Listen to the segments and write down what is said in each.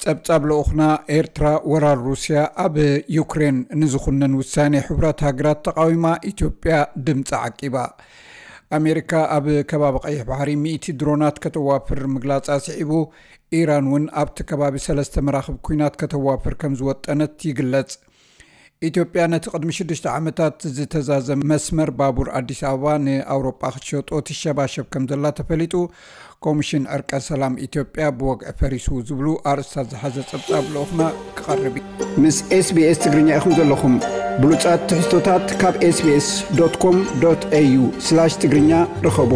ጸብጻብ ልኡኽና፣ ኤርትራ ወራር ሩስያ ኣብ ዩክሬን ንዝኹነን ውሳኔ ሕቡራት ሃገራት ተቓዊማ፣ ኢትዮጵያ ድምጻ ዓቂባ። ኣሜሪካ ኣብ ከባቢ ቀይሕ ባሕሪ ሚእቲ ድሮናት ከተዋፍር ምግላጻ ስዒቡ፣ ኢራን እውን ኣብቲ ከባቢ ሰለስተ መራኽብ ኲናት ከተዋፍር ከም ዝወጠነት ይግለጽ። ኢትዮጵያ ነቲ ቅድሚ ሽዱሽተ ዓመታት ዝተዛዘመ መስመር ባቡር ኣዲስ ኣበባ ንኣውሮጳ ክትሸጦ ትሸባሸብ ከም ዘላ ተፈሊጡ። ኮሚሽን ዕርቀ ሰላም ኢትዮጵያ ብወግዒ ፈሪሱ ዝብሉ ኣርእስታት ዝሓዘ ጸብጻብ ልኡኽና ክቐርብ እዩ። ምስ SBS ትግርኛ ኢኹም ዘለኹም። ብሉጻት ትሕዝቶታት ካብ SBS.com.au/ትግርኛ ርኸቡ።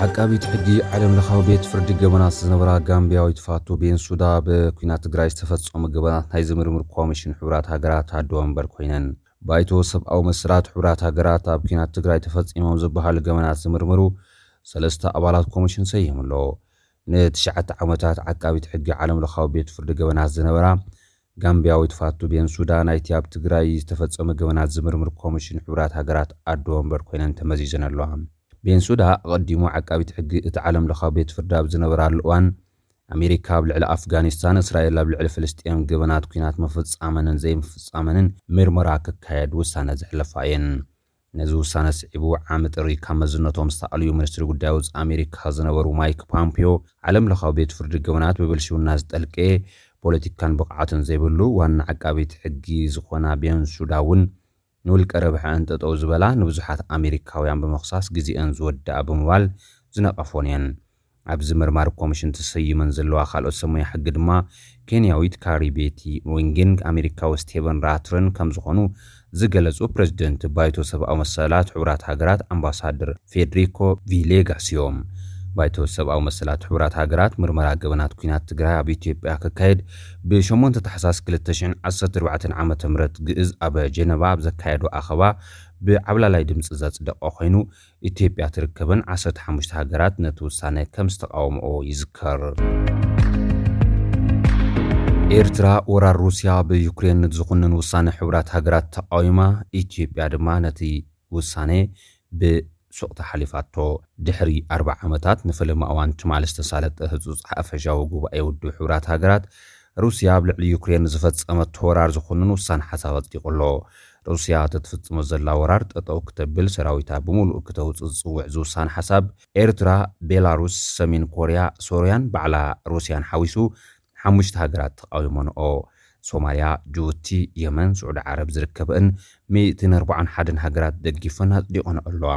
ዓቃቢት ሕጊ ዓለም ለኻዊ ቤት ፍርዲ ገበናት ዝነበራ ጋምቢያዊት ፋቱ ቤንሱዳ፣ ብኲናት ትግራይ ዝተፈጸሙ ገበናት ናይ ዝምርምር ኮሚሽን ሕቡራት ሃገራት ኣዶ ወንበር ኮይነን። ባይቶ ሰብኣዊ መሰላት ሕቡራት ሃገራት ኣብ ኲናት ትግራይ ተፈጺሞም ዝበሃሉ ገበናት ዝምርምሩ ሰለስተ ኣባላት ኮሚሽን ሰይሙ ኣሎ። ንትሽዓተ ዓመታት ዓቃቢት ሕጊ ዓለም ለኻዊ ቤት ፍርዲ ገበናት ዝነበራ ጋምቢያዊት ፋቱ ቤንሱዳ፣ ናይቲ ኣብ ትግራይ ዝተፈጸመ ገበናት ዝምርምር ኮሚሽን ሕቡራት ሃገራት ኣዶ ወንበር ኮይነን ተመዚዘን ኣለዋ። ቤንሱዳ ኣቐዲሙ ዓቃቢት ሕጊ እቲ ዓለም ለኻዊ ቤት ፍርዲ ኣብ ዝነበራሉ እዋን፣ ኣሜሪካ ኣብ ልዕሊ ኣፍጋኒስታን፣ እስራኤል ኣብ ልዕሊ ፍልስጤም ገበናት ኲናት ምፍጻመንን ዘይምፍጻመንን ምርመራ ክካየድ ውሳነ ዘሕለፋ እየን። ነዚ ውሳነ ስዒቡ፣ ዓሚ ጥሪ ካብ መዝነቶም ዝተኣልዩ ሚኒስትሪ ጉዳይ ወጻኢ ኣሜሪካ ዝነበሩ ማይክ ፖምፒዮ፣ ዓለም ለኻዊ ቤት ፍርዲ ገበናት ብብልሽውና ዝጠልቀ፣ ፖለቲካን ብቕዓትን ዘይብሉ ዋና ዓቃቢት ሕጊ ዝኾና ቤንሱዳ እውን ንውልቀ ረብሐኣን ጠጠው ዝበላ፣ ንብዙሓት ኣሜሪካውያን ብምኽሳስ ግዜአን ዝወድኣ ብምባል ዝነቐፎን እየን። ኣብዚ ምርማር ኮሚሽን ተሰይመን ዘለዋ ካልኦት ሰብ ሞያ ሕጊ ድማ፣ ኬንያዊት ካሪ ቤቲ ዊንግን ኣሜሪካዊ ስቴቨን ራትርን ከም ዝኾኑ ዝገለጹ ፕሬዚደንት ባይቶ ሰብኣዊ መሰላት ሕቡራት ሃገራት ኣምባሳደር ፌደሪኮ ቪሌጋስ እዮም። ባይቶ ሰብኣዊ መሰላት ሕቡራት ሃገራት፣ ምርመራ ገበናት ኲናት ትግራይ ኣብ ኢትዮጵያ ክካየድ ብሸሞንተ ታሕሳስ ክልተ ሽሕን ዓሰርተ ኣርባዕተን ዓመተ ምህረት ግእዝ ኣብ ጀነቫ ኣብ ዘካየዶ ኣኸባ ብዓብላላይ ድምፂ ዘጽደቐ ኮይኑ፣ ኢትዮጵያ ትርከበን ዓሰርተ ሓሙሽተ ሃገራት ነቲ ውሳነ ከም ዝተቃወምኦ ይዝከር። ኤርትራ ወራር ሩስያ ብዩክሬን ዝኹንን ውሳነ ሕቡራት ሃገራት ተቃዊማ፣ ኢትዮጵያ ድማ ነቲ ውሳነ ብሱቕታ ሓሊፋቶ። ድሕሪ ኣርባዓ ዓመታት ንፈለማ እዋን ትማሊ ዝተሳለጠ ህጹጽ ሓፈሻዊ ጉባኤ ውድብ ሕቡራት ሃገራት፣ ሩስያ ኣብ ልዕሊ ዩክሬን ዝፈጸመቶ ወራር ዝኹንን ውሳነ ሓሳብ ኣጽዲቑ ኣሎ። ሩስያ ተትፍጽሞ ዘላ ወራር ጠጠው ክተብል፣ ሰራዊታ ብምሉእ ክተውጽእ ዝጽውዕ ዝውሳነ ሓሳብ፣ ኤርትራ፣ ቤላሩስ፣ ሰሜን ኮርያ፣ ሶርያን ባዕላ ሩስያን ሓዊሱ ሓሙሽተ ሃገራት ተቃዊሞንኦ። ሶማልያ፣ ጅቡቲ፣ የመን፣ ስዑዲ ዓረብ ዝርከበእን ሚእትን ኣርባዓን ሓደን ሃገራት ደጊፈን ኣጽዲቆን ኣለዋ።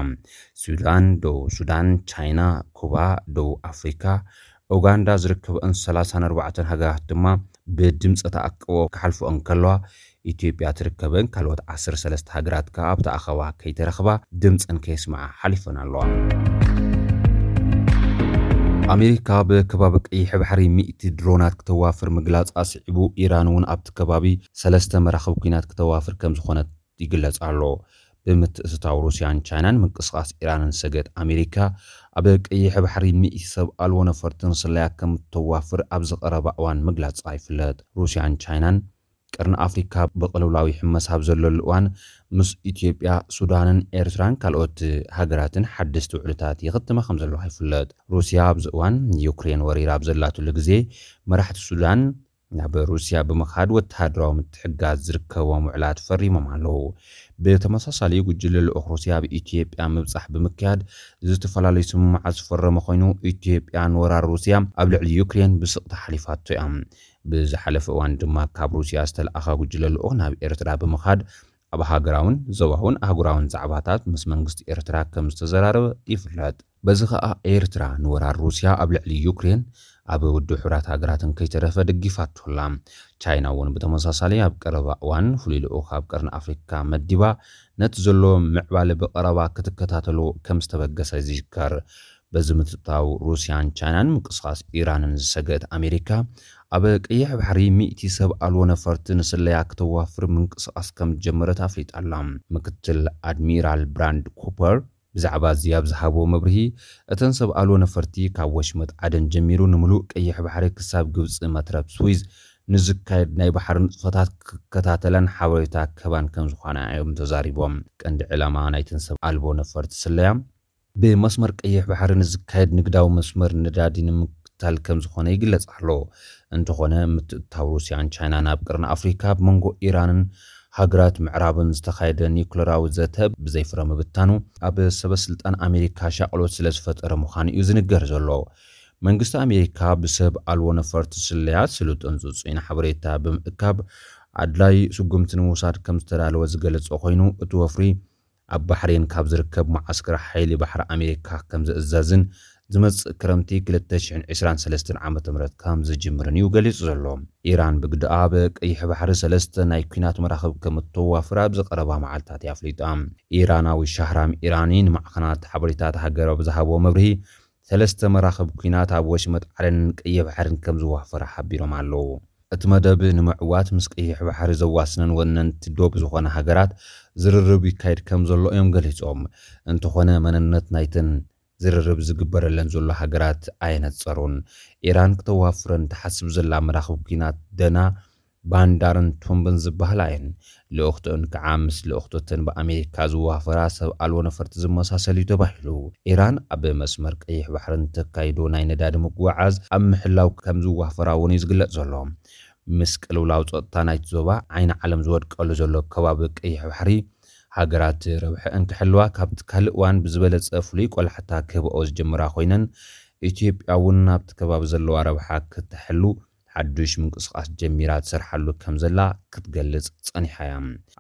ሱዳን፣ ደቡብ ሱዳን፣ ቻይና፣ ኩባ፣ ደቡብ ኣፍሪካ፣ ኡጋንዳ ዝርከበእን ሰላሳን ኣርባዕተን ሃገራት ድማ ብድምፂ ተኣቅቦ ክሓልፎ እንከለዋ፣ ኢትዮጵያ ትርከበን ካልኦት ዓሰርተ ሰለስተ ሃገራት ከኣ ኣብቲ ኣኸባ ከይተረኽባ ድምፀን ከየስምዓ ሓሊፈን ኣለዋ። ኣሜሪካ ብከባቢ ቀይሕ ባሕሪ ሚእቲ ድሮናት ክተዋፍር ምግላጻ ስዒቡ፣ ኢራን እውን ኣብቲ ከባቢ ሰለስተ መራኽብ ኲናት ክተዋፍር ከም ዝኾነት ይግለጽ ኣሎ። ብምትእትታው ሩስያን ቻይናን ምንቅስቓስ ኢራንን ዝሰገት ኣሜሪካ፣ ኣብ ቀይሕ ባሕሪ ሚእቲ ሰብ ኣልቦ ነፈርትን ስለያ ከም እተዋፍር ኣብዚ ቀረባ እዋን ምግላጻ ይፍለጥ። ሩስያን ቻይናን ቀርኒ ኣፍሪካ ብቅልውላዊ ሕመስ ኣብ ዘለሉ እዋን፣ ምስ ኢትዮጵያ፣ ሱዳንን ኤርትራን ካልኦት ሃገራትን ሓደስቲ ውዕልታት ይኽትማ ከም ዘለዋ ይፍለጥ። ሩስያ ኣብዚ እዋን ዩክሬን ወሪራ ኣብ ዘላትሉ ግዜ፣ መራሕቲ ሱዳን ናብ ሩስያ ብምኻድ ወተሃደራዊ ምትሕግጋዝ ዝርከቦም ውዕላት ፈሪሞም ኣለዉ። ብተመሳሳሊ፣ ጉጅለ ልኡኽ ሩስያ ኣብ ኢትዮጵያ ምብጻሕ ብምክያድ ዝተፈላለዩ ስምምዓት ዝፈረመ ኮይኑ፣ ኢትዮጵያ ንወራር ሩስያ ኣብ ልዕሊ ዩክሬን ብስቕታ ሓሊፋቶ እያ። ብዝሓለፈ እዋን ድማ ካብ ሩስያ ዝተለኣኸ ጉጅለ ልኡኽ ናብ ኤርትራ ብምኻድ ኣብ ሃገራውን ዞባውን ኣህጉራውን ዛዕባታት ምስ መንግስቲ ኤርትራ ከም ዝተዘራረበ ይፍለጥ። በዚ ኸኣ ኤርትራ ንወራር ሩስያ ኣብ ልዕሊ ዩክሬን ኣብ ውድብ ሕቡራት ሃገራትን ከይተረፈ ደጊፋቶ ኣላ። ቻይና እውን ብተመሳሳሊ ኣብ ቀረባ እዋን ፍሉይ ልኡኽ ኣብ ቀርኒ ኣፍሪካ መዲባ ነቲ ዘሎ ምዕባለ ብቐረባ ክትከታተሎ ከም ዝተበገሰ ይዝከር። በዚ ምትእትታው ሩስያን ቻይናን ምንቅስቓስ ኢራንን ዝሰገአት ኣሜሪካ፣ ኣብ ቀይሕ ባሕሪ ሚእቲ ሰብ ኣልቦ ነፈርቲ ንስለያ ክተዋፍር ምንቅስቓስ ከም ዝጀመረት ኣፍሊጣ ኣላ። ምክትል ኣድሚራል ብራንድ ኩፐር ብዛዕባ እዚ ኣብ ዝሃቦ መብርሂ፣ እተን ሰብ ኣልቦ ነፈርቲ ካብ ወሽመጥ ዓደን ጀሚሩ ንምሉእ ቀይሕ ባሕሪ ክሳብ ግብጺ መትረብ ስዊዝ ንዝካየድ ናይ ባሕሪ ንጥፈታት ክከታተላን ሓበሬታ ክህባን ከም ዝኾና እዮም ተዛሪቦም። ቀንዲ ዕላማ ናይተን ሰብ ኣልቦ ነፈርቲ ስለያ፣ ብመስመር ቀይሕ ባሕሪ ንዝካየድ ንግዳዊ መስመር ነዳዲ ንምክ-፣ ምክትታል ከም ዝኾነ ይግለጽ ኣሎ። እንተኾነ፣ ምትእትታው ሩስያን ቻይናን ኣብ ቀርኒ ኣፍሪካ፣ ብመንጎ ኢራንን ሃገራት ምዕራብን ዝተኻየደ ኒውክለራዊ ዘተ ብዘይፍረ ምብታኑ፣ ኣብ ሰበ ስልጣን ኣሜሪካ ሻቕሎት ስለ ዝፈጠረ ምዃኑ እዩ ዝንገር ዘሎ። መንግስቲ ኣሜሪካ ብሰብ ኣልቦ ነፈርቲ ስለያ ስሉጥን ጽጹይን ሓበሬታ ብምእካብ፣ ኣድላይ ስጉምቲ ንምውሳድ ከም ዝተዳለወ ዝገለጸ ኮይኑ፣ እቲ ወፍሪ ኣብ ባሕሬን ካብ ዝርከብ መዓስከር ሓይሊ ባሕሪ ኣሜሪካ ከም ዝእዘዝን፣ ዝመጽእ ክረምቲ ክልተ ሽሕን ዕስራን ሰለስተን ዓመተ ምህረት ከም ዝጅምርን እዩ ገሊጹ ዘሎ። ኢራን ብግደኣ፣ ኣብ ቀይሕ ባሕሪ ሰለስተ ናይ ኲናት መራኽብ ከም እተዋፍር ኣብዚ ቀረባ መዓልታት እያ ኣፍሊጣ። ኢራናዊ ሻህራም ኢራኒ ንማዕኸናት ሓበሬታት ሃገር ኣብ ዝሃቦ መብርሂ፣ ሰለስተ መራኽብ ኲናት ኣብ ወሽመጥ ዓደንን ቀይሕ ባሕርን ከም ዝዋፈራ ሓቢሮም ኣለዉ። እቲ መደብ ንምዕዋት ምስ ቀይሕ ባሕሪ ዘዋስነን ወነንቲ ዶብ ዝኾነ ሃገራት ዝርርብ ይካየድ ከም ዘሎ እዮም ገሊጾም። እንተኾነ፣ መንነት ናይተን ዝርርብ ዝግበረለን ዘሎ ሃገራት ኣየነጸሩን። ኢራን ክተዋፍረን ትሓስብ ዘላ መራኽብ ኲናት ደና፣ ባንዳርን ቱምብን ዝበሃላ እየን። ልኡኽትኡን ከዓ ምስ ልኡኽትተን ብኣሜሪካ ዝዋፈራ ሰብ ኣልቦ ነፈርቲ ዝመሳሰል እዩ ተባሂሉ። ኢራን ኣብ መስመር ቀይሕ ባሕሪ ንተካይዶ ናይ ነዳዲ ምጉዕዓዝ ኣብ ምሕላው ከም ዝዋፈራ እውን እዩ ዝግለጽ ዘሎ። ምስ ቅልውላው ጸጥታ ናይቲ ዞባ ዓይኒ ዓለም ዝወድቀሉ ዘሎ ከባቢ ቀይሕ ባሕሪ፣ ሃገራት ረብሐ እንክሕልዋ ካብቲ ካልእ እዋን ብዝበለጸ ፍሉይ ቆላሕታ ክህብኦ ዝጀምራ ኮይነን፣ ኢትዮጵያ እውን ናብቲ ከባቢ ዘለዋ ረብሓ ክትሕሉ ሓዱሽ ምንቅስቓስ ጀሚራ ትሰርሓሉ ከም ዘላ ክትገልጽ ጸኒሓ እያ።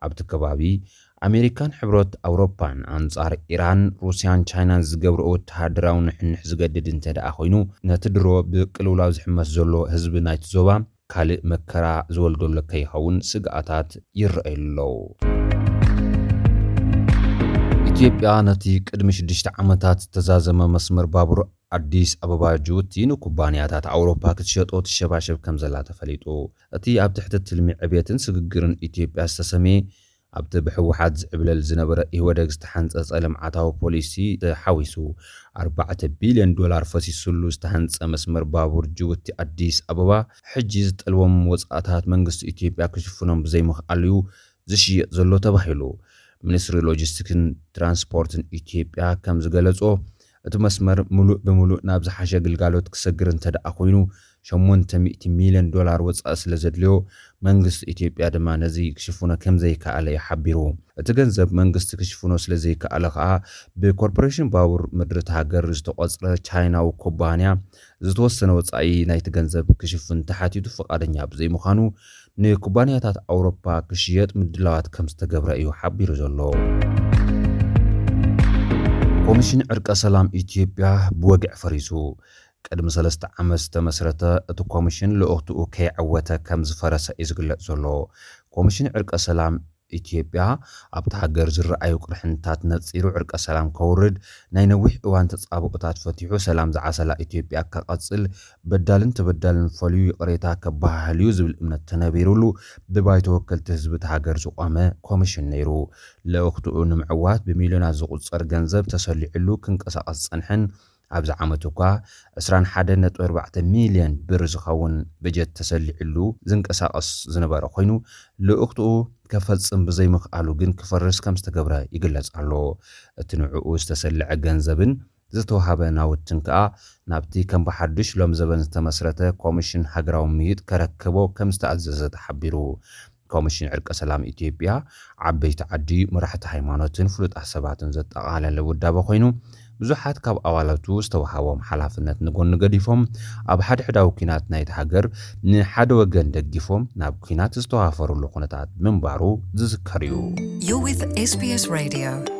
ኣብቲ ከባቢ፣ ኣሜሪካን ሕብረት ኣውሮፓን ኣንጻር ኢራን፣ ሩስያን ቻይናን ዝገብርኦ ወተሃደራዊ ንሕንሕ ዝገድድ እንተ ደኣ ኮይኑ፣ ነቲ ድሮ ብቅልውላው ዝሕመስ ዘሎ ህዝቢ ናይቲ ዞባ ካልእ መከራ ዝወልደሉ ከይኸውን ስግኣታት ይረኣዩ ኣለዉ። ኢትዮጵያ ነቲ ቅድሚ ሽዱሽተ ዓመታት ዝተዛዘመ መስመር ባቡር ኣዲስ ኣበባ ጅቡቲ ንኩባንያታት ኣውሮፓ ክትሸጦ ትሸባሸብ ከም ዘላ ተፈሊጡ። እቲ ኣብ ትሕቲ ትልሚ ዕብየትን ስግግርን ኢትዮጵያ ዝተሰምየ፣ ኣብቲ ብህወሓት ዝዕብለል ዝነበረ ኢህወደግ ዝተሓንጸጸ ልምዓታዊ ፖሊሲ ተሓዊሱ፣ ኣርባዕተ ቢልዮን ዶላር ፈሲሱሉ ዝተሃንጸ መስመር ባቡር ጅቡቲ ኣዲስ ኣበባ፣ ሕጂ ዝጠልቦም ወጻእታት መንግስቲ ኢትዮጵያ ክሽፍኖም ብዘይምኽኣሉ እዩ ዝሽየጥ ዘሎ ተባሂሉ። ሚኒስትሪ ሎጂስቲክስን ትራንስፖርትን ኢትዮጵያ ከም ዝገለጾ፣ እቲ መስመር ምሉእ ብምሉእ ናብ ዝሓሸ ግልጋሎት ክሰግር እንተ ደኣ ኮይኑ፣ ሸሞንተ ሚእቲ ሚልዮን ዶላር ወጻኢ ስለ ዘድልዮ፣ መንግስቲ ኢትዮጵያ ድማ ነዚ ክሽፍኖ ከም ዘይከኣለ እዩ ሓቢሩ። እቲ ገንዘብ መንግስቲ ክሽፍኖ ስለ ዘይከኣለ ከኣ፣ ብኮርፖሬሽን ባቡር ምድሪ እታ ሃገር ዝተቖጽረ ቻይናዊ ኩባንያ ዝተወሰነ ወጻኢ ናይቲ ገንዘብ ክሽፍን ተሓቲቱ ፍቓደኛ ብዘይምዃኑ፣ ንኩባንያታት ኣውሮፓ ክሽየጥ ምድላዋት ከም ዝተገብረ እዩ ሓቢሩ ዘሎ። ኮሚሽን ዕርቀ ሰላም ኢትዮጵያ ብወግዒ ፈሪሱ። ቅድሚ ሰለስተ ዓመት ዝተመስረተ እቲ ኮሚሽን ልኡኽትኡ ከይዓወተ ከም ዝፈረሰ እዩ ዝግለጽ ዘሎ። ኮሚሽን ዕርቀ ሰላም ኢትዮጵያ ኣብቲ ሃገር ዝረኣዩ ቅርሕንታት ነጺሩ ዕርቀ ሰላም ከውርድ፣ ናይ ነዊሕ እዋን ተጻብኦታት ፈቲሑ ሰላም ዝዓሰላ ኢትዮጵያ ክቐጽል፣ በዳልን ተበዳልን ፈልዩ ይቕሬታ ከባሃህል እዩ ዝብል እምነት ተነቢሩሉ ብባይቶ ወከልቲ ህዝቢ እቲ ሃገር ዝቖመ ኮሚሽን ነይሩ። ልኡኽትኡ ንምዕዋት ብሚልዮናት ዝቑጸር ገንዘብ ተሰሊዕሉ ክንቀሳቐስ ዝጸንሐን ኣብዚ ዓመት እኳ ዕስራን ሓደን ነጥቢ ኣርባዕተ ሚልዮን ብር ዝኸውን በጀት ተሰሊዕሉ ዝንቀሳቐስ ዝነበረ ኮይኑ፣ ልኡኽትኡ ከፈጽም ብዘይምኽኣሉ ግን ክፈርስ ከም ዝተገብረ ይግለጽ ኣሎ። እቲ ንዕኡ ዝተሰልዐ ገንዘብን ዝተዋሃበ ናውትን ከኣ ናብቲ ከም ብሓድሽ ሎም ዘበን ዝተመስረተ ኮሚሽን ሃገራዊ ምይይጥ ከረክቦ ከም ዝተኣዘዘ ተሓቢሩ። ኮሚሽን ዕርቀ ሰላም ኢትዮጵያ ዓበይቲ ዓዲ፣ መራሕቲ ሃይማኖትን ፍሉጣት ሰባትን ዘጠቓለለ ውዳበ ኮይኑ፣ ብዙሓት ካብ ኣባላቱ ዝተዋሃቦም ሓላፍነት ንጎኒ ገዲፎም ኣብ ሓድሕዳዊ ኲናት ናይቲ ሃገር ንሓደ ወገን ደጊፎም ናብ ኲናት ዝተዋፈሩሉ ኩነታት ምንባሩ ዝዝከር እዩ። You're with S B S Radio.